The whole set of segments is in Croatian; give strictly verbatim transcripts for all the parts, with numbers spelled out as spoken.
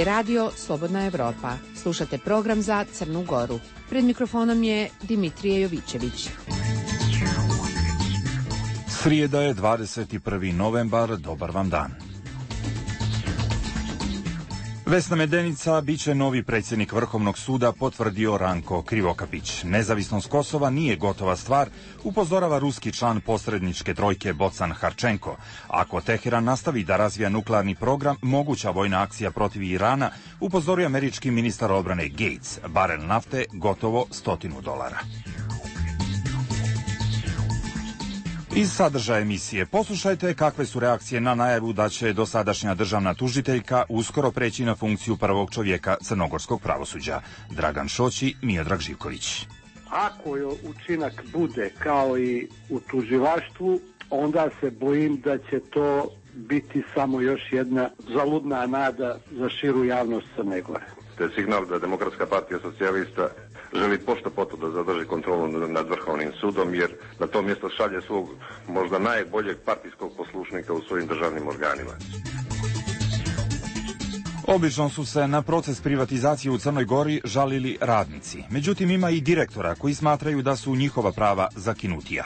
je radio Slobodna Evropa. Slušate program za Crnu Goru. Pred mikrofonom je Dimitrije Jovićević. Srijeda je dvadeset prvi novembar, dobar vam dan. Vesna Medenica biće novi predsjednik Vrhovnog suda, potvrdio Ranko Krivokapić. Nezavisnost Kosova nije gotova stvar, upozorava ruski član posredničke trojke Bocan Harčenko. Ako Teheran nastavi da razvija nuklearni program, moguća vojna akcija protiv Irana, upozorio američki ministar obrane Gates. Barel nafte gotovo stotinu dolara. Iz sadržaja emisije poslušajte kakve su reakcije na najavu da će dosadašnja državna tužiteljka uskoro preći na funkciju prvog čovjeka crnogorskog pravosuđa. Dragan Šoći, Miodrag Živković. Ako je učinak bude kao i u tužilaštvu, onda se bojim da će to biti samo još jedna zaludna nada za širu javnost Crne Gore. To je signal da Demokratska partija socijalista želi pošto poto da zadrži kontrolu nad Vrhovnim sudom, jer na to mjesto šalje svog možda najboljeg partijskog poslušnika u svojim državnim organima. Obično su se na proces privatizacije u Crnoj Gori žalili radnici. Međutim, ima i direktora koji smatraju da su njihova prava zakinutija.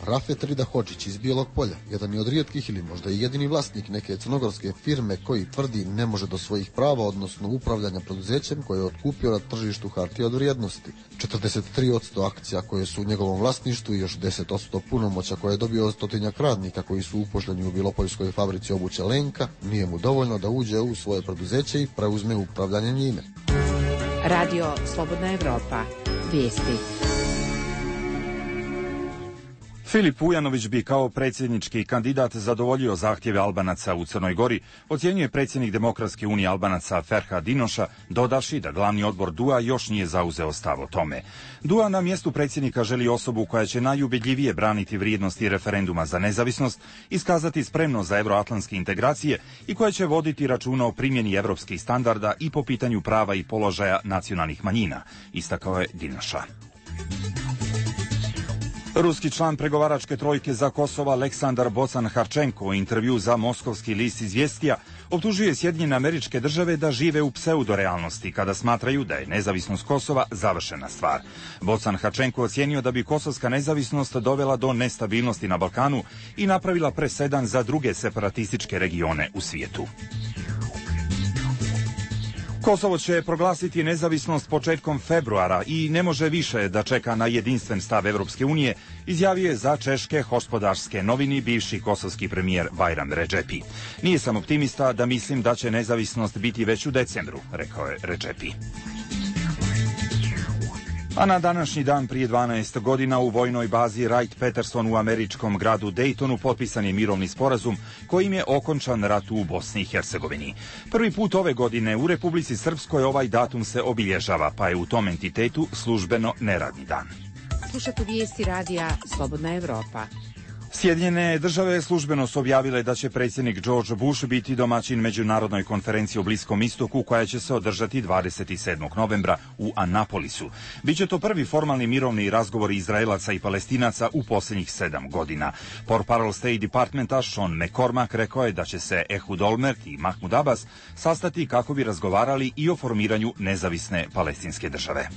Rafet Rida Hodžić iz Bijelog Polja, jedan je od rijetkih ili možda i jedini vlasnik neke crnogorske firme koji tvrdi ne može do svojih prava, odnosno upravljanja preduzećem koje je otkupio na tržištu hartija od vrijednosti. četrdeset tri posto akcija koje su u njegovom vlasništvu i još deset posto punomoća koje je dobio od stotinjak radnika koji su uposleni u Bilopoljskoj fabrici obuće Lenka, nije mu dovoljno da uđe u svoje preduzeće i preuzme upravljanje njime. Radio Slobodna Evropa. Vijesti. Filip Ujanović bi kao predsjednički kandidat zadovoljio zahtjeve Albanaca u Crnoj Gori, ocjenjuje predsjednik Demokratske unije Albanaca Ferhat Dinoša, dodavši da glavni odbor D U A još nije zauzeo stav o tome. D U A na mjestu predsjednika želi osobu koja će najubedljivije braniti vrijednosti referenduma za nezavisnost, iskazati spremnost za euroatlantske integracije i koja će voditi računa o primjeni europskih standarda i po pitanju prava i položaja nacionalnih manjina, istakao je Dinoša. Ruski član pregovaračke trojke za Kosovo Aleksandar Bocan Harčenko u intervju za moskovski list Izvjestija optužuje Sjedinjene Američke Države da žive u pseudorealnosti kada smatraju da je nezavisnost Kosova završena stvar. Bocan Harčenko ocijenio da bi kosovska nezavisnost dovela do nestabilnosti na Balkanu i napravila presedan za druge separatističke regione u svijetu. Kosovo će proglasiti nezavisnost početkom februara i ne može više da čeka na jedinstven stav Evropske unije, izjavio je za češke Hospodarske novini bivši kosovski premijer Bajram Redžepi. Nije sam optimista da mislim da će nezavisnost biti već u decembru, rekao je Redžepi. A na današnji dan prije dvanaest godina u vojnoj bazi Wright-Patterson u američkom gradu Daytonu potpisan je mirovni sporazum kojim je okončan rat u Bosni i Hercegovini. Prvi put ove godine u Republici Srpskoj ovaj datum se obilježava, pa je u tom entitetu službeno neradni dan. Slušate vijesti radija Slobodna Evropa. Sjedinjene države službeno su objavile da će predsjednik George Bush biti domaćin međunarodnoj konferenciji o Bliskom istoku koja će se održati dvadeset sedmog novembra u Anapolisu. Biće to prvi formalni mirovni razgovor Izraelaca i Palestinaca u posljednjih sedam godina. Portparol State Departmenta Sean McCormack rekao je da će se Ehud Olmert i Mahmud Abbas sastati kako bi razgovarali i o formiranju nezavisne palestinske države.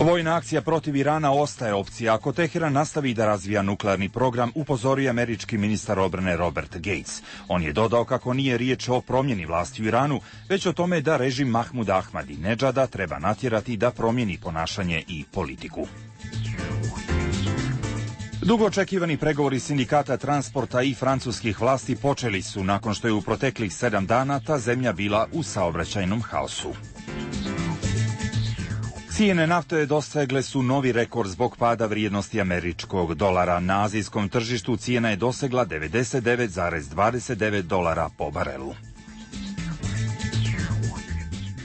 Vojna akcija protiv Irana ostaje opcija ako Teheran nastavi da razvija nuklearni program, upozorio američki ministar obrane Robert Gates. On je dodao kako nije riječ o promjeni vlasti u Iranu, već o tome da režim Mahmuda Ahmadinedžada treba natjerati da promijeni ponašanje i politiku. Dugo očekivani pregovori sindikata transporta i francuskih vlasti počeli su nakon što je u proteklih sedam dana ta zemlja bila u saobraćajnom haosu. Cijene nafte dosegle su novi rekord zbog pada vrijednosti američkog dolara. Na azijskom tržištu cijena je dosegla devedeset devet zarez dvadeset devet dolara po barelu.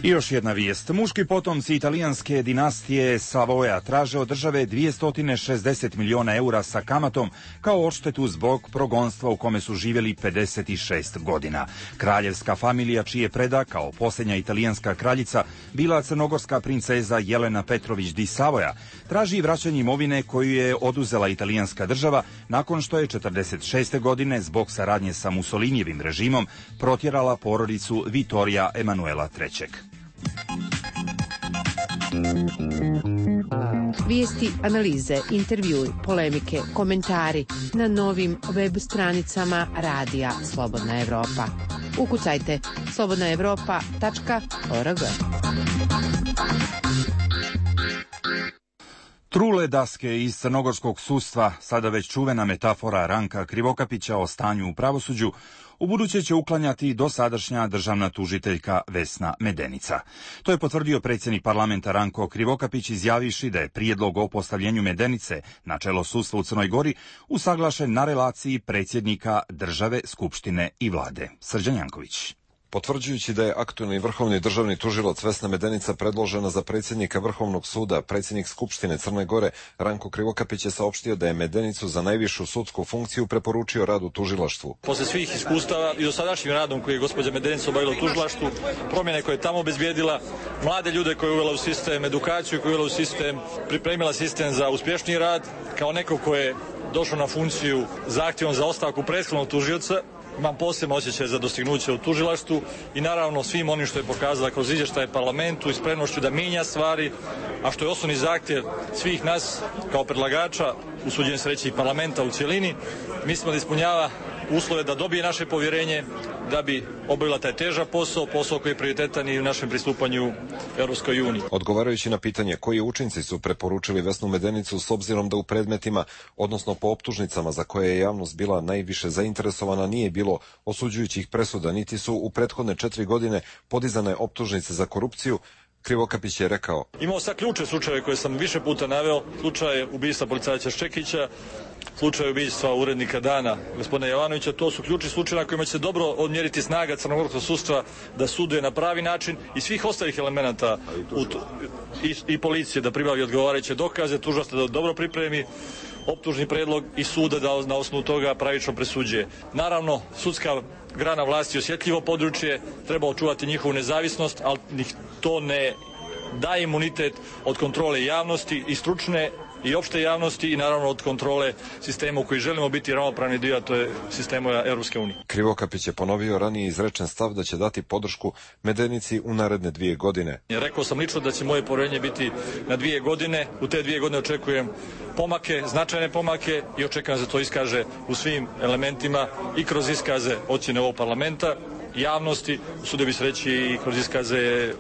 I još jedna vijest. Muški potomci italijanske dinastije Savoja traže od države dvjesto šezdeset miliona eura sa kamatom kao odštetu zbog progonstva u kome su živjeli pedeset šest godina. Kraljevska familija, čije preda kao posljednja italijanska kraljica bila crnogorska princeza Jelena Petrović di Savoja, traži vraćanje imovine koju je oduzela italijanska država nakon što je četrdeset šeste godine zbog saradnje sa Mussolinijevim režimom protjerala porodicu Vittorija Emanuela trećeg. Vijesti, analize, intervjui, polemike, komentari na novim web stranicama Radija Slobodna Evropa. Ukucajte slobodna evropa tačka org. Trule daske iz crnogorskog sudstva, sada već čuvena metafora Ranka Krivokapića o stanju u pravosuđu, ubuduće će uklanjati dosadašnja državna tužiteljka Vesna Medenica. To je potvrdio predsjednik parlamenta Ranko Krivokapić izjavivši da je prijedlog o postavljenju Medenice na čelo sudstva u Crnoj Gori usaglašen na relaciji predsjednika države, skupštine i vlade. Srđan Janković. Potvrđujući da je aktuelni vrhovni državni tužilac Vesna Medenica predložena za predsjednika Vrhovnog suda, predsjednik Skupštine Crne Gore Ranko Krivokapić je saopštio da je Medenicu za najvišu sudsku funkciju preporučio rad u tužilaštvu. Posle svih iskustava i dosadašnjim radom koji je gospođa Medenica obavila u tužilaštvu, promjene koje je tamo obezbijedila, mlade ljude koje je uvela u sistem, edukaciju koju je uvela u sistem, pripremila sistem za uspješniji rad, kao neko ko je došao na funkciju zahtjevom za ostavku prethodnog tužioca, imam posebno osjećaj za dostignuće u tužilaštvu i naravno svim onim što je pokazala kroz izvještaje parlamentu i spremnošću da mijenja stvari, a što je osnovni zahtjev svih nas kao predlagača, usuđujem se reći i parlamenta u cjelini, mislimo da ispunjava uslove da dobije naše povjerenje, da bi obavila taj težak posao, posao koji je prioritetan i u našem pristupanju Europskoj uniji. Odgovarajući na pitanje koji učinci su preporučili Vesnu Medenicu s obzirom da u predmetima, odnosno po optužnicama za koje je javnost bila najviše zainteresovana, nije bilo osuđujućih presuda, niti su u prethodne četiri godine podizane optužnice za korupciju, Krivokapić je rekao: Imao sam ključne slučajeve koje sam više puta naveo, slučaj ubistva policajca Ščekića, slučaj ubistva urednika Dana, gospodina Jovanovića, to su ključni slučajevi na kojima će se dobro odmjeriti snaga crnogorskog sudstva da suduje na pravi način i svih ostalih elemenata u to, i, i policije da pribavi odgovarajuće dokaze, tužilaštvo da dobro pripremi optužni predlog i suda da na osnovu toga pravično presuđuje. Naravno, sudska grana vlasti je osjetljivo područje, treba očuvati njihovu nezavisnost, ali to ne daje imunitet od kontrole javnosti i stručne i opšte javnosti i naravno od kontrole sistema u koji želimo biti ravnopravni dio, a to je sistema Europske unije. Krivokapić je ponovio ranije izrečen stav da će dati podršku Medenici u naredne dvije godine. Rekao sam lično da će moje povjerenje biti na dvije godine. U te dvije godine očekujem pomake, značajne pomake i očekujem da se to iskaže u svim elementima i kroz iskaze ocjene ovog parlamenta, javnosti, usudio bi se reći i kroz iskaze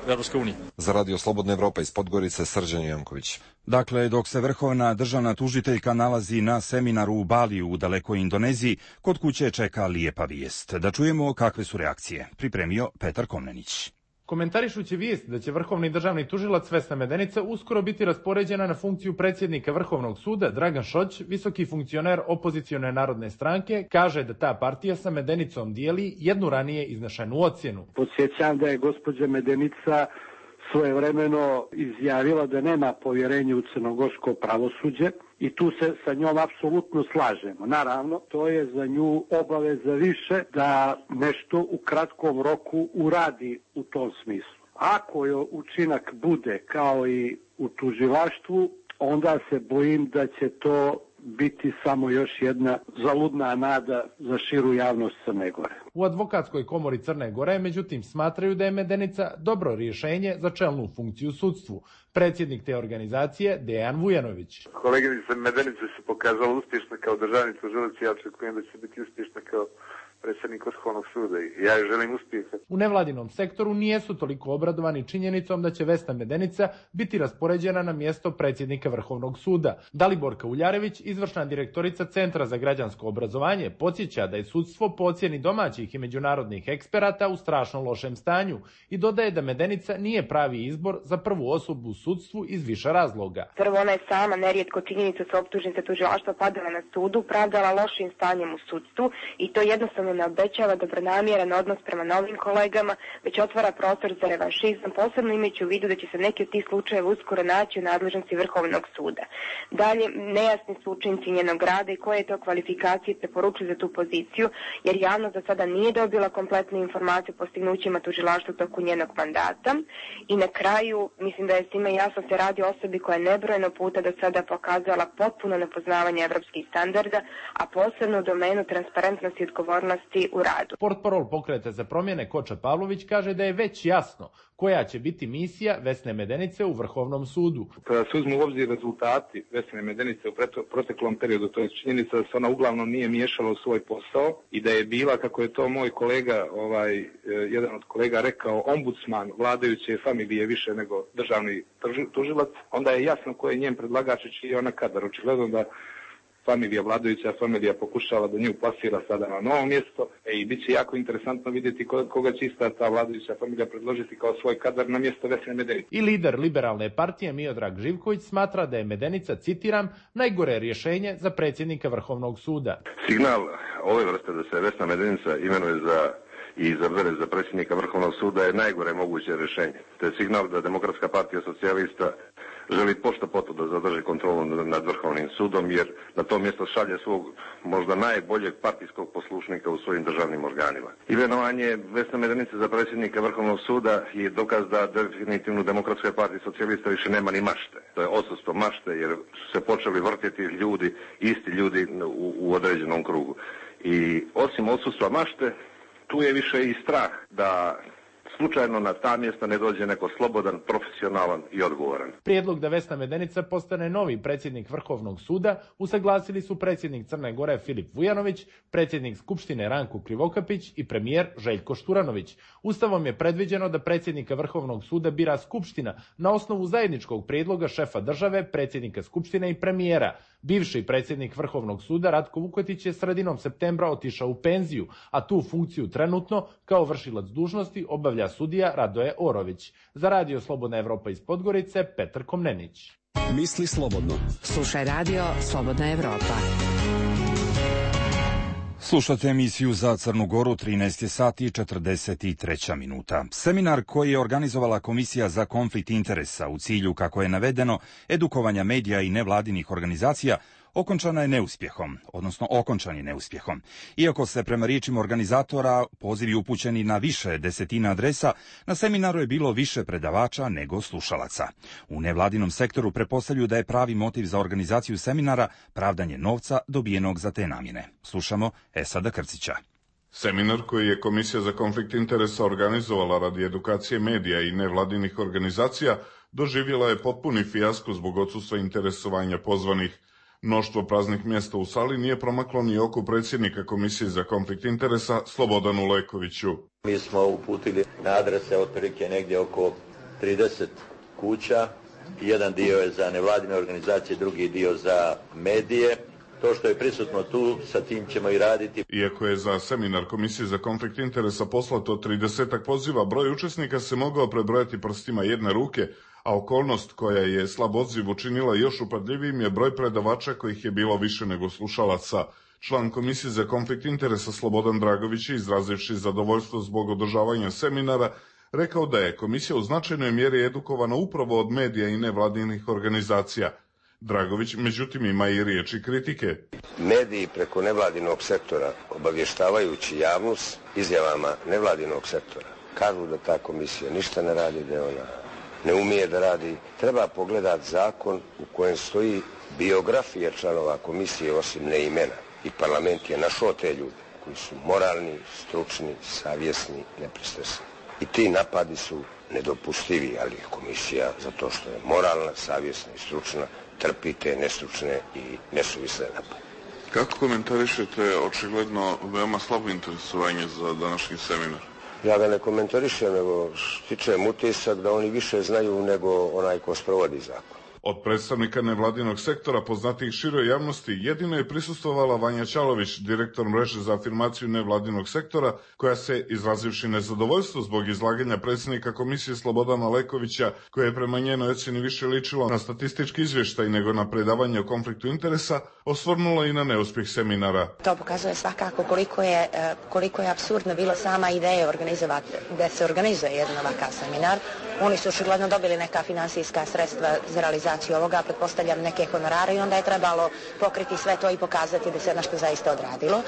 Europske unije. Za Radio Slobodna Evropa iz Podgorice, Srđan Janković. Dakle, dok se vrhovna državna tužiteljka nalazi na seminaru u Baliju u dalekoj Indoneziji, kod kuće čeka lijepa vijest. Da čujemo kakve su reakcije. Pripremio Petar Komnenić. Komentarišući vijest da će vrhovni državni tužilac Vesna Medenica uskoro biti raspoređena na funkciju predsjednika Vrhovnog suda, Dragan Šoć, visoki funkcioner opozicione narodne stranke, kaže da ta partija sa Medenicom dijeli jednu ranije iznešenu ocjenu. Podsjećam da je gospođa Medenica svojevremeno izjavila da nema povjerenja u crnogorsko pravosuđe i tu se sa njom apsolutno slažemo. Naravno, to je za nju obaveza više da nešto u kratkom roku uradi u tom smislu. Ako je učinak bude kao i u tužilaštvu, onda se bojim da će to biti samo još jedna zaludna nada za širu javnost Crne Gore. U advokatskoj komori Crne Gore, međutim, smatraju da je Medenica dobro rješenje za čelnu funkciju u sudstvu. Predsjednik te organizacije, Dejan Vujanović. Koleginica Medenica se pokazala uspješna kao državni tužilac, ja očekujem da će biti uspješna kao predsjednik Vrhovnog suda i ja joj želim uspjeha. U nevladinom sektoru nijesu toliko obradovani činjenicom da će Vesna Medenica biti raspoređena na mjesto predsjednika Vrhovnog suda. Daliborka Uljarević, izvršna direktorica Centra za građansko obrazovanje, podsjeća da je sudstvo po ocjeni domaćih i međunarodnih eksperata u strašno lošem stanju i dodaje da Medenica nije pravi izbor za prvu osobu u sudstvu iz više razloga. Prvo, ona je sama nerijetko činjenicu sa optužnice tužilaštva padala na sudu, pravdala lošim stanjem u sudstvu i to jednostavno ne obećava dobronamjeran odnos prema novim kolegama, već otvara prostor za revanšizam, posebno imajući u vidu da će se neki od tih slučajeva uskoro naći u nadležnosti Vrhovnog suda. Dalje, nejasni su učinci njenog rada i koje je to kvalifikacije preporučuju za tu poziciju, jer javnost do sada nije dobila kompletnu informaciju o postignućima tužilaštva u toku njenog mandata. I na kraju, mislim da je svima jasno se radi o osobi koja je nebrojeno puta do sada pokazala potpuno nepoznavanje evropskih standarda, a posebno u domenu transparentnosti i odgovornosti u radu. Portparol Pokreta za promjene Koča Pavlović kaže da je već jasno koja će biti misija Vesne Medenice u Vrhovnom sudu. Kada se uzmu u obzir rezultati Vesne Medenice u proteklom periodu, to je činjenica da se ona uglavnom nije miješala u svoj posao i da je bila, kako je to moj kolega, ovaj, jedan od kolega rekao, ombudsman vladajuće familije više nego državni tužilac, onda je jasno ko je njen predlagač i čiji je ona kadar. Očigledno da familija, vladajuća familija pokušava da nju plasira sada na novo mjesto e, i bit će jako interesantno vidjeti koga će ista ta vladajuća familija predložiti kao svoj kadar na mjesto Vesne Medenice. I lider liberalne partije Miodrag Živković smatra da je Medenica, citiram, najgore rješenje za predsjednika Vrhovnog suda. Signal ove vrste da se Vesna Medenica imenuje za i izabere za predsjednika Vrhovnog suda je najgore moguće rješenje. To je signal da Demokratska partija socijalista želi pošto poto da zadrži kontrolu nad Vrhovnim sudom, jer na to mjesto šalje svog možda najboljeg partijskog poslušnika u svojim državnim organima. Imenovanje Vesne Medenice za predsjednika Vrhovnog suda je dokaz da definitivno Demokratska partija socijalista više nema ni mašte. To je odsustvo mašte, jer su se počeli vrtjeti ljudi, isti ljudi u, u određenom krugu. I osim odsustva mašte, tu je više i strah da slučajno na ta mjesta ne dođe neko slobodan, profesionalan i odgovoran. Prijedlog da Vesna Medenica postane novi predsjednik Vrhovnog suda usaglasili su predsjednik Crne Gore Filip Vujanović, predsjednik Skupštine Ranko Krivokapić i premijer Željko Šturanović. Ustavom je predviđeno da predsjednika Vrhovnog suda bira Skupština na osnovu zajedničkog prijedloga šefa države, predsjednika Skupštine i premijera. Bivši predsjednik Vrhovnog suda Ratko Vukotić je sredinom septembra otišao u penziju, a tu funkciju trenutno kao vršilac dužnosti obavlja sudija Radoje Orović. Za Radio Slobodna Evropa iz Podgorice, Petar Komnenić. Misli slobodno. Slušaj Radio Slobodna Evropa. Slušate emisiju za Crnu Goru, trinaest sati i četrdeset tri minuta. Seminar koji je organizovala Komisija za konflikt interesa u cilju, kako je navedeno, edukovanja medija i nevladinih organizacija, okončana je neuspjehom, odnosno okončan je neuspjehom. Iako se prema riječima organizatora pozivi upućeni na više desetina adresa, na seminaru je bilo više predavača nego slušalaca. U nevladinom sektoru pretpostavljaju da je pravi motiv za organizaciju seminara pravdanje novca dobijenog za te namjene. Slušamo Esada Krcića. Seminar koji je Komisija za konflikt interesa organizovala radi edukacije medija i nevladinih organizacija doživjela je potpuni fijasko zbog odsustva interesovanja pozvanih. Mnoštvo praznih mjesta u sali nije promaklo ni oko predsjednika Komisije za konflikt interesa Slobodanu Lekoviću. Mi smo uputili na adrese otprilike negdje oko trideset kuća. Jedan dio je za nevladine organizacije, drugi dio za medije. To što je prisutno tu, sa tim ćemo i raditi. Iako je za seminar Komisije za konflikt interesa poslato tridesetak poziva, broj učesnika se mogao prebrojati prstima jedne ruke, a okolnost koja je slab odziv učinila još upadljivijim je broj predavača kojih je bilo više nego slušalaca. Član Komisije za konflikt interesa Slobodan Dragović, izrazivši zadovoljstvo zbog održavanja seminara, rekao da je komisija u značajnoj mjeri edukovana upravo od medija i nevladinih organizacija. Dragović, međutim, ima i riječi kritike. Mediji preko nevladinog sektora, obavještavajući javnost izjavama nevladinog sektora, kažu da ta komisija ništa ne radi, da ona ne umije da radi. Treba pogledati zakon u kojem stoji biografija članova komisije osim ne imena. I parlament je našao te ljude koji su moralni, stručni, savjesni, nepristrasni. I ti napadi su nedopustivi, ali komisija, zato što je moralna, savjesna i stručna, trpi te nestručne i nesuvisle napade. Kako komentarišete očigledno veoma slabo interesovanje za današnji seminar? Ja ga ne komentarišem, nego stičem utisak da oni više znaju nego onaj ko sprovodi zakon. Od predstavnika nevladinog sektora poznatih široj javnosti jedino je prisustvovala Vanja Ćalović, direktor mreže za afirmaciju nevladinog sektora, koja se, izrazivši nezadovoljstvo zbog izlaganja predsjednika komisije Slobodana Lekovića, koje je prema njenoj ocjeni više ličilo na statistički izvještaj nego na predavanje o konfliktu interesa, osvrnula i na neuspjeh seminara. To pokazuje svakako koliko je, koliko je apsurdno bila sama ideja organizovati, da se organizuje jedan ovakav seminar. Oni su očigledno dobili neka finansijska sredstva za realizaciju ovoga, pretpostavljam neke honorare, i onda je trebalo pokriti sve to i pokazati da se nešto zaista odradilo. E,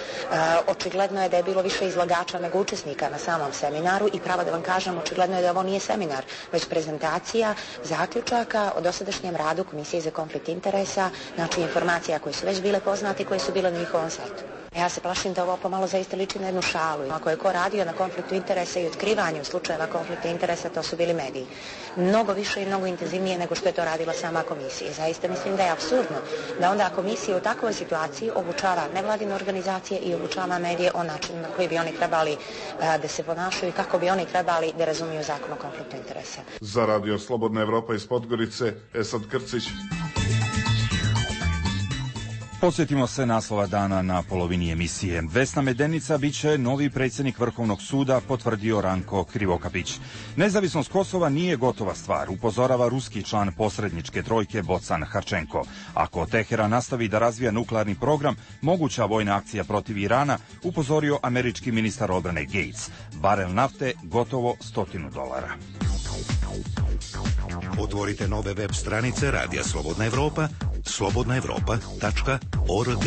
očigledno je da je bilo više izlagača nego učesnika na samom seminaru i pravo da vam kažem, očigledno je da ovo nije seminar, već prezentacija zaključaka o dosadašnjem radu Komisije za konflikt interesa, znači informacija koje su već bile poznate i koje su bile na njihovom sajtu. Ja se plašim da ovo pomalo zaista liči na jednu šalu. Ako je ko radio na konfliktu interesa i otkrivanju slučajeva konflikta interesa, to su bili mediji. Mnogo više i mnogo intenzivnije nego što je to radila sama komisija. Zaista mislim da je apsurdno da onda komisija u takvoj situaciji obučava nevladine organizacije i obučava medije o načinu na koji bi oni trebali a, da se ponašaju i kako bi oni trebali da razumiju zakon o konfliktu interesa. Za Radio Slobodna Evropa iz Podgorice, Esad Krcić. Posjetimo se naslova dana na polovini emisije. Vesna Medenica biće novi predsjednik Vrhovnog suda, potvrdio Ranko Krivokapić. Nezavisnost Kosova nije gotova stvar, upozorava ruski član posredničke trojke Bocan Harčenko. Ako Teheran nastavi da razvija nuklearni program, moguća vojna akcija protiv Irana, upozorio američki ministar obrane Gates. Barel nafte gotovo stotinu dolara. Otvorite nove web stranice Radija Slobodna Evropa, slobodna evropa tačka org.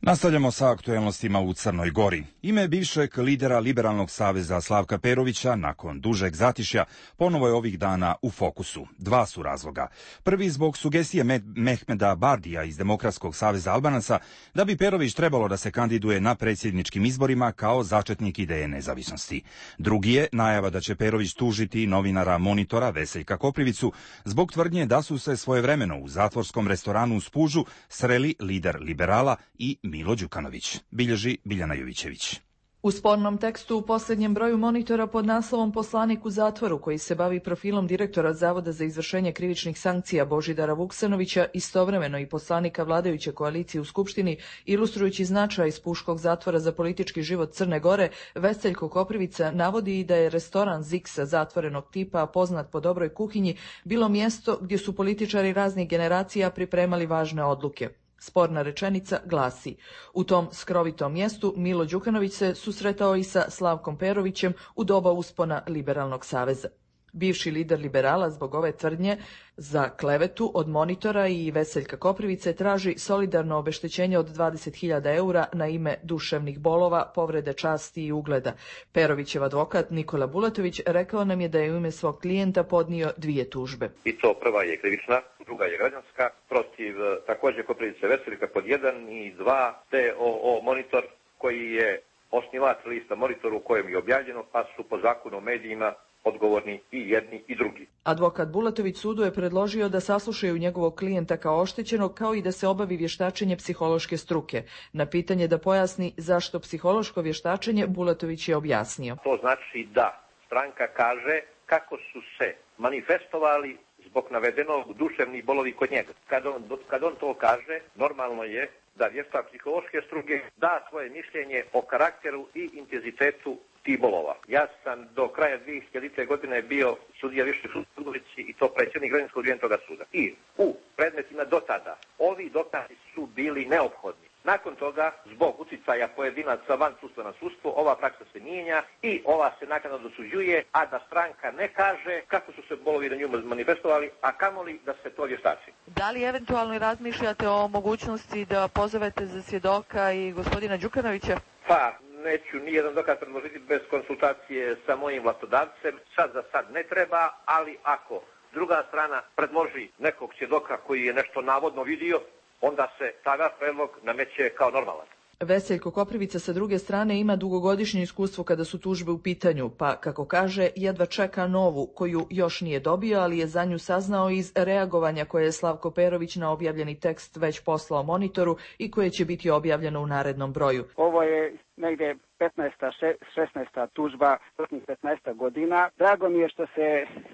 Nastavljamo sa aktuelnostima u Crnoj Gori. Ime bivšeg lidera Liberalnog saveza Slavka Perovića, nakon dužeg zatišja, ponovo je ovih dana u fokusu. Dva su razloga. Prvi zbog sugestije Mehmeda Bardija iz Demokratskog saveza Albanaca da bi Perović trebalo da se kandiduje na predsjedničkim izborima kao začetnik ideje nezavisnosti. Drugi je najava da će Perović tužiti novinara Monitora Veseljka Koprivicu zbog tvrdnje da su se svojevremeno u zatvorskom restoranu u Spužu sreli lider liberala i Milo Đukanović, bilježi Biljana Jovićević. U spornom tekstu u posljednjem broju Monitora pod naslovom Poslanik u zatvoru, koji se bavi profilom direktora Zavoda za izvršenje krivičnih sankcija Božidara Vuksanovića, istovremeno i poslanika vladajuće koalicije u Skupštini, ilustrujući značaj Spuškog zatvora za politički život Crne Gore, Veseljko Koprivica navodi i da je restoran Ziksa zatvorenog tipa, poznat po dobroj kuhinji, bilo mjesto gdje su političari raznih generacija pripremali važne odluke. Sporna rečenica glasi: u tom skrovitom mjestu Milo Đukanović se susretao i sa Slavkom Perovićem u doba uspona Liberalnog saveza. Bivši lider liberala zbog ove tvrdnje za klevetu od Monitora i Veseljka Koprivice traži solidarno obeštećenje od dvadeset hiljada eura na ime duševnih bolova, povrede časti i ugleda. Perovićev advokat Nikola Bulatović rekao nam je da je u ime svog klijenta podnio dvije tužbe. I to prva je krivična, druga je građanska, protiv također Koprivice Veseljka pod jedan i dva, te o, o Monitor koji je osnivač lista Monitor u kojem je objavljeno, pa su po zakonu o medijima odgovorni i jedni i drugi. Advokat Bulatović sudu je predložio da saslušaju njegovog klijenta kao oštećenog, kao i da se obavi vještačenje psihološke struke. Na pitanje da pojasni zašto psihološko vještačenje, Bulatović je objasnio. To znači da stranka kaže kako su se manifestovali zbog navedenog duševni bolovi kod njega. Kad on, kad on to kaže, normalno je da vještak psihološke struke da svoje mišljenje o karakteru i intenzitetu tih bolova. Ja sam do kraja dvije hiljadite godine bio sudija višeg suda i to predsjednik građanskog toga suda. I u predmetima do tada ovi dokazi su bili neophodni. Nakon toga, zbog uticaja pojedinaca van sudstva na sudstvo, ova praksa se mijenja i ova se naknadno dosuđuje, a da stranka ne kaže kako su se bolovi na nju manifestovali, a kamoli da se to vještači. Da li eventualno razmišljate o mogućnosti da pozovete za svjedoka i gospodina Đukanovića? Pa, neću nijedan dokaz predložiti bez konsultacije sa mojim vlastodavcem. Sad za sad ne treba, ali ako druga strana predloži nekog svjedoka koji je nešto navodno vidio, onda se tada predlog nameće kao normalan. Veseljko Koprivica sa druge strane ima dugogodišnje iskustvo kada su tužbe u pitanju, pa, kako kaže, jedva čeka novu, koju još nije dobio, ali je za nju saznao iz reagovanja koje je Slavko Perović na objavljeni tekst već poslao Monitoru i koje će biti objavljeno u narednom broju. Ovo je negdje petnaesta, šesnaesta tužba, prošlih petnaest godina. Drago mi je što se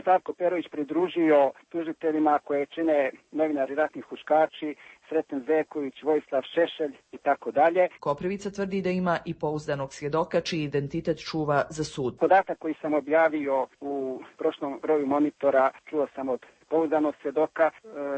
Slavko Perović pridružio tužiteljima koje čine novinari ratnih huškači, Sreten Zeković, Vojislav Šešelj i tako dalje. Koprivica tvrdi da ima i pouzdanog svjedoka čiji identitet čuva za sud. Podatak koji sam objavio u prošlom broju Monitora čuo sam od pouzdanog svjedoka. E,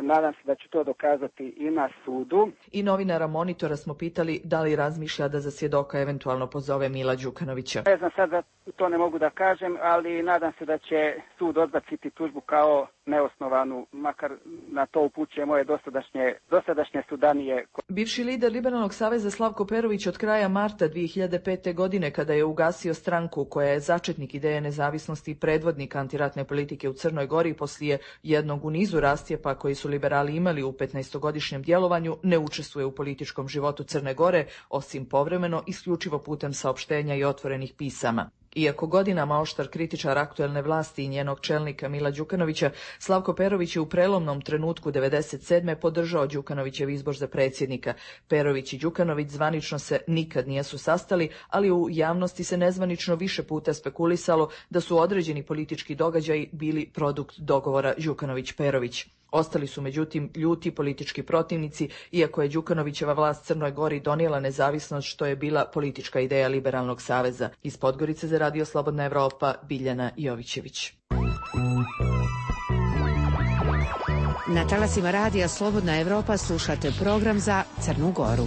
nadam se da ću to dokazati i na sudu. I novinara Monitora smo pitali da li razmišlja da za svjedoka eventualno pozove Mila Đukanovića. Ne znam sad da to ne mogu da kažem, ali nadam se da će sud odbaciti tužbu kao neosnovanu, makar na to upućuje moje dosadašnje, dosadašnje sudanije. Bivši lider Liberalnog saveza Slavko Perović od kraja marta dvije hiljade pete. godine, kada je ugasio stranku koja je začetnik ideje nezavisnosti i predvodnik antiratne politike u Crnoj Gori poslije jednog u nizu rastjepa koji su liberali imali u petnaestogodišnjem djelovanju, ne učestvuje u političkom životu Crne Gore, osim povremeno isključivo putem saopštenja i otvorenih pisama. Iako godinama oštar kritičar aktuelne vlasti i njenog čelnika Mila Đukanovića, Slavko Perović je u prelomnom trenutku devedeset sedme podržao Đukanovićev izbor za predsjednika. Perović i Đukanović zvanično se nikad nisu sastali, ali u javnosti se nezvanično više puta spekulisalo da su određeni politički događaji bili produkt dogovora Đukanović-Perović. Ostali su međutim ljuti politički protivnici, iako je Đukanovićeva vlast Crnoj Gori donijela nezavisnost, što je bila politička ideja Liberalnog saveza. Iz Podgorice za Radio Slobodna Evropa, Biljana Jovićević. Na talasima Radija Slobodna Evropa slušate program za Crnu Goru.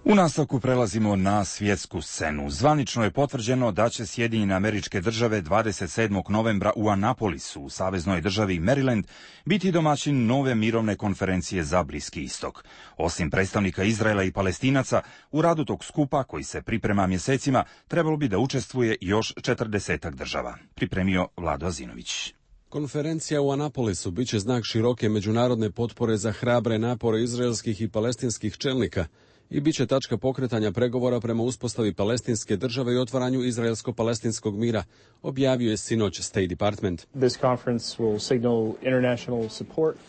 U nastavku prelazimo na svjetsku scenu. Zvanično je potvrđeno da će Sjedinjene Američke Države dvadeset sedmog novembra u Anapolisu, u saveznoj državi Maryland, biti domaćin nove mirovne konferencije za Bliski istok. Osim predstavnika Izraela i Palestinaca, u radu tog skupa, koji se priprema mjesecima, trebalo bi da učestvuje još četrdesetak država. Pripremio Vlado Azinović. Konferencija u Anapolisu bit će znak široke međunarodne potpore za hrabre napore izraelskih i palestinskih čelnika i bit će tačka pokretanja pregovora prema uspostavi palestinske države i otvaranju izraelsko-palestinskog mira, objavio je sinoć State Department.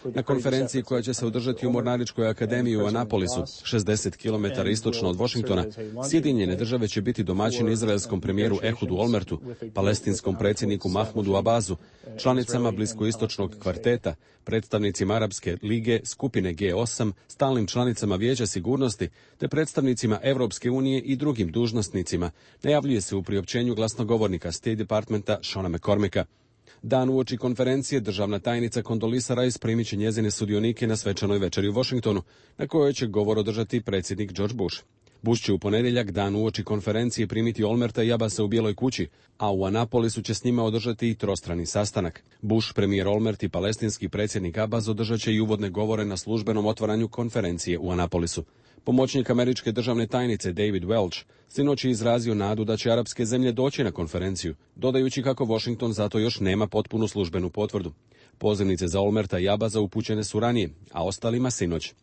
Na konferenciji koja će se održati u Mornaričkoj akademiji u Anapolisu, šezdeset kilometara istočno od Washingtona, Sjedinjene države će biti domaćin izraelskom premijeru Ehudu Olmertu, palestinskom predsjedniku Mahmudu Abazu, članicama bliskoistočnog kvarteta, predstavnicima Arapske lige, skupine G osam, stalnim članicama Vijeća sigurnosti, te predstavnicima Europske unije i drugim dužnosnicima, najavljuje se u priopćenju glasnogovornika State Departmenta Shona McCormicka. Dan uoči konferencije državna tajnica Condoleezza Rice primit će njezine sudionike na svečanoj večeri u Washingtonu, na kojoj će govor održati predsjednik George Bush. Bush će u ponedjeljak, dan uoči konferencije, primiti Olmerta i Abasa u Bijeloj kući, a u Anapolisu će s njima održati i trostrani sastanak. Bush, premijer Olmert i palestinski predsjednik Abbas održat će i uvodne govore na službenom otvaranju konferencije u Anapolisu. Pomoćnik američke državne tajnice David Welch sinoć je izrazio nadu da će arapske zemlje doći na konferenciju, dodajući kako Washington zato još nema potpunu službenu potvrdu. Pozivnice za Olmerta i Abasa upućene su ranije, a ostalima sinoć.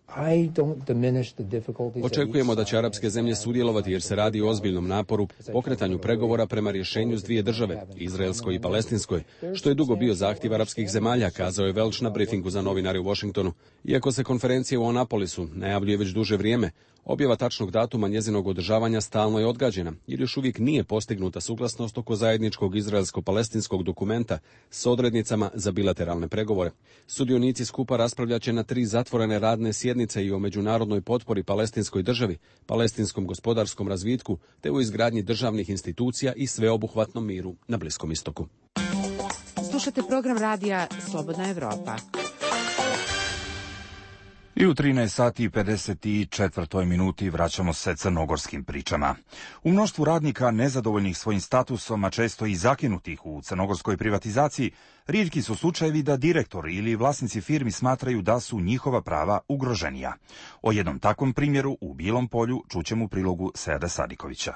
Očekujemo da će arapske zemlje sudjelovati jer se radi o ozbiljnom naporu, pokretanju pregovora prema rješenju s dvije države, izraelskoj i palestinskoj, što je dugo bio zahtjev arapskih zemalja, kazao je Welch na briefingu za novinare u Washingtonu. Iako se konferencija u Anapolisu najavljuje već duže vrijeme, objava tačnog datuma njezinog održavanja stalno je odgađena, jer još uvijek nije postignuta suglasnost oko zajedničkog izraelsko-palestinskog dokumenta s odrednicama za bilateralne pregovore. Sudionici skupa raspravljat će na tri zatvorene radne sjednice i o međunarodnoj potpori palestinskoj državi, palestinskom gospodarskom razvitku, te u izgradnji državnih institucija i sveobuhvatnom miru na Bliskom istoku. Slušate program radija Slobodna Evropa. I u trinaest sati i pedeset četvrtoj minuti vraćamo se crnogorskim pričama. U mnoštvu radnika nezadovoljnih svojim statusom, a često i zakinutih u crnogorskoj privatizaciji, rijetki su slučajevi da direktori ili vlasnici firmi smatraju da su njihova prava ugroženija. O jednom takvom primjeru u Bilom Polju čućemo u prilogu Seada Sadikovića.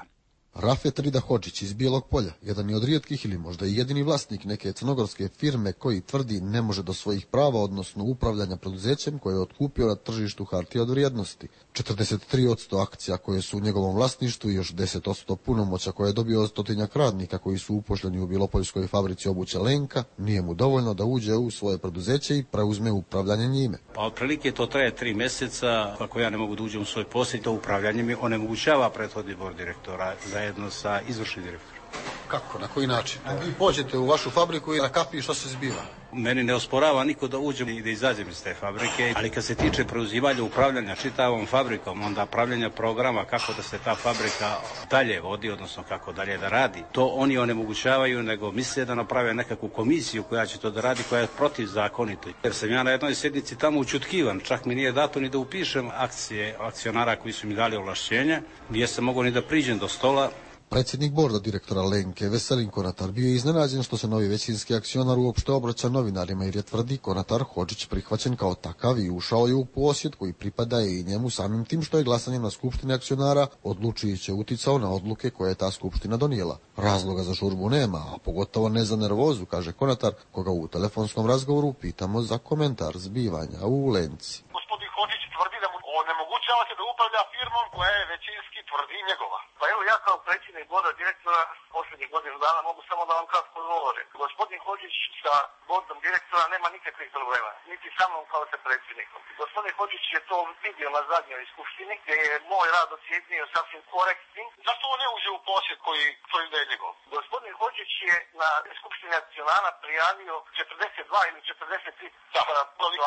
Rafet Rida Hodžić iz Bijelog Polja, jedan je od rijetkih ili možda i jedini vlasnik neke crnogorske firme koji tvrdi ne može do svojih prava, odnosno upravljanja preduzećem koje je otkupio na tržištu hartija od vrijednosti. četrdeset tri posto akcija koje su u njegovom vlasništvu i još deset posto punomoća koje je dobio od stotinjak radnika koji su upošljeni u Bijelopoljskoj fabrici obuće Lenka, nije mu dovoljno da uđe u svoje preduzeće i preuzme upravljanje njime. Pa otprilike to traje tri mjeseca, ako ja ne mogu da uđem u svoj posao, to upravljanje mi onemogućava prethodni bord direktora zajedno sa izvršnim direktorom. Kako, na koji način? Vi pođete u vašu fabriku i na kapi što se zbiva? Meni ne osporava niko da uđem i da izađem iz te fabrike, ali kad se tiče preuzimanja upravljanja čitavom fabrikom, onda pravljanja programa kako da se ta fabrika dalje vodi, odnosno kako dalje da radi, to oni onemogućavaju, nego misle da naprave nekakvu komisiju koja će to da radi, koja je protivzakonito. Jer sam ja na jednoj sjednici tamo učutkivan, čak mi nije dato ni da upišem akcije akcionara koji su mi dali ovlašćenje, gdje sam mogao ni da priđem do stola. Predsjednik borda direktora Lenke, Veselin Konatar, bio je iznenađen što se novi većinski akcionar uopšte obraća novinarima jer je tvrdi Konatar Hodžić prihvaćen kao takav i ušao je u posjed koji pripada i njemu samim tim što je glasanjem na skupštini akcionara odlučujuće uticao na odluke koje je ta skupština donijela. Razloga za žurbu nema, a pogotovo ne za nervozu, kaže Konatar, koga u telefonskom razgovoru pitamo za komentar zbivanja u Lenci. Gospodin Hodžić tvrdi da mu onemogućava se da upravlja firmom koja je većinski tvrdi njegova. Pa evo ja kao predsjednik borda direktora posljednjih godinu dana mogu samo da vam kratko govorim. Gospodin Hodžić sa bordom direktora nema nikakvih problema, niti sa mnom kao sa predsjednikom. Gospodin Hodžić je to vidio na zadnjoj skupštini gdje je moj rad ocijenio sasvim korektnim. Zašto on ne uđe u posjed koji tvrdi da je njegov? Gospodin Hodžić je na skupštini akcionara prijavio četrdeset dva ili četrdeset tri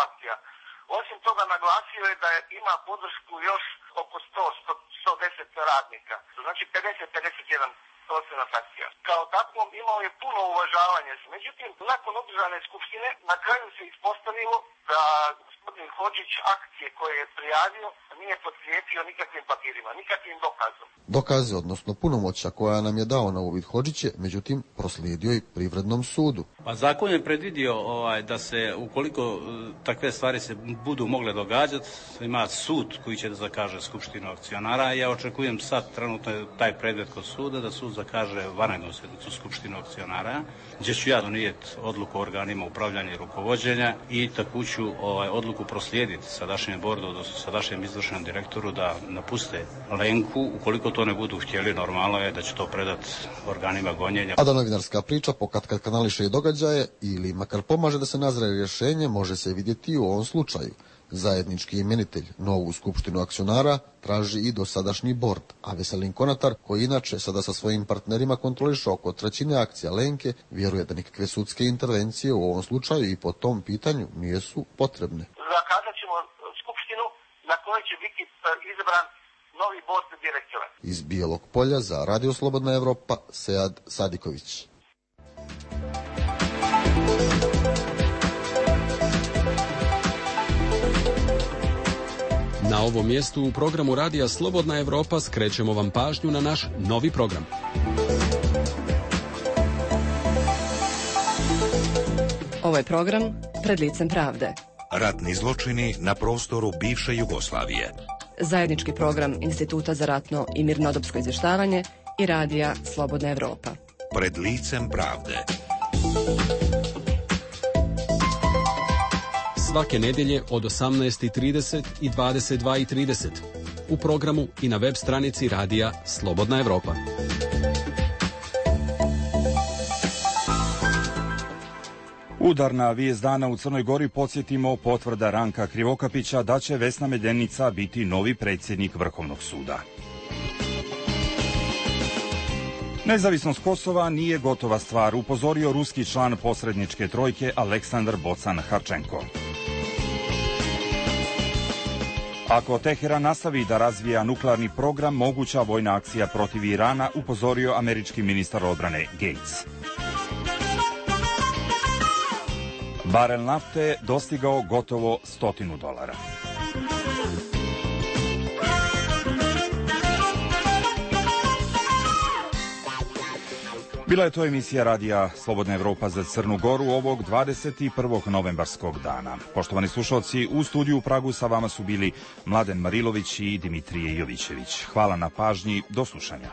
akcija. Osim toga naglasio je da je, ima podršku još oko sto do sto deset radnika, znači pedeset do pedeset jedan procenat akcija. Kao takvom imao je puno uvažavanja. Međutim, nakon održane skupštine na kraju se ispostavilo da gospodin Hodžić akcije koje je prijavio nije potkrijepio nikakvim papirima, nikakvim dokazom. Dokaze, odnosno punomoća koja nam je dao na uvid Hodžić je, međutim, proslijedio i Privrednom sudu. Pa zakon je predvidio ovaj, da se, ukoliko takve stvari se budu mogle događati, ima sud koji će da zakaže skupštinu akcionara. Ja očekujem sad, trenutno je taj predmet kod suda, da sud zakaže vanrednu sjednicu skupštinu akcionara, gdje ću ja donijeti odluku o organima upravljanja i rukovođenja i tako ću ovaj, odluku proslijediti sadašnjem bordu, odnosno sadašnjem izvršenom direktoru da napuste Lenku. Ukoliko to ne budu htjeli, normalno je da će to predati organima gonjenja. A da novinarska priča pokatkad kanališe i događaje ili makar pomaže da se nazre rješenje, može se vidjeti i u ovom slučaju. Zajednički imenitelj novu skupštinu akcionara traži i dosadašnji bord, a Veselin Konatar, koji inače sada sa svojim partnerima kontroliše oko trećine akcija Lenke, vjeruje da nikakve sudske intervencije u ovom slučaju i po tom pitanju nisu potrebne. Zakazat ćemo skupštinu na kojoj će biti izabran novi bord direktora. Iz Bijelog Polja za Radio Slobodna Evropa, Sead Sadiković. Na ovom mjestu u programu Radija Slobodna Evropa skrećemo vam pažnju na naš novi program. Ovo je program Pred licem pravde. Ratni zločini na prostoru bivše Jugoslavije. Zajednički program Instituta za ratno i mirnodopsko izvještavanje i Radija Slobodna Evropa. Pred licem pravde. Svake nedjelje od osamnaest i trideset i dvadeset dva i trideset u programu i na web stranici Radija Slobodna Evropa. Udarna vijest dana u Crnoj Gori, podsjetimo, potvrda Ranka Krivokapića da će Vesna Medenica biti novi predsjednik Vrhovnog suda. Nezavisnost Kosova nije gotova stvar, upozorio ruski član posredničke trojke Aleksandar Bocan-Harčenko. Ako Teheran nastavi da razvija nuklearni program, moguća vojna akcija protiv Irana, upozorio američki ministar odbrane Gates. Barel nafte dostigao gotovo stotinu dolara. Bila je to emisija Radija Slobodna Evropa za Crnu Goru ovog dvadeset prvog novembarskog dana. Poštovani slušalci, u studiju u Pragu sa vama su bili Mladen Marilović i Dimitrije Jovićević. Hvala na pažnji, do slušanja.